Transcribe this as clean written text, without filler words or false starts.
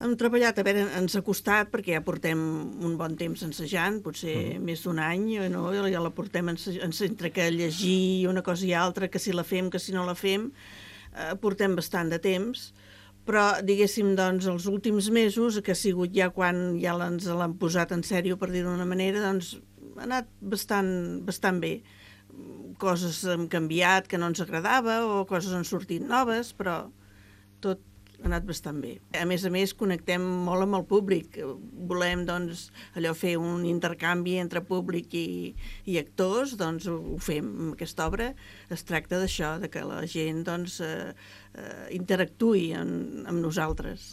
Hem treballat, a veure, ens ha costat, perquè ja portem un bon temps ensejant, potser més d'un any, no? Ja la portem entre que llegir una cosa i altra, que si la fem, que si no la fem, portem bastant de temps, però, diguéssim, doncs, els últims mesos, que ha sigut ja quan ja ens l'han posat en sèrio, per dir d'una manera, doncs ha anat bastant bé. Coses han canviat que no ens agradava, o coses han sortit noves, però tot ha anat bastant bé. A més, connectem molt amb el públic. Volem, doncs, allò fer un intercanvi entre públic i actors, doncs ho fem amb aquesta obra. Es tracta d'això, de que la gent, doncs, interactuï amb nosaltres.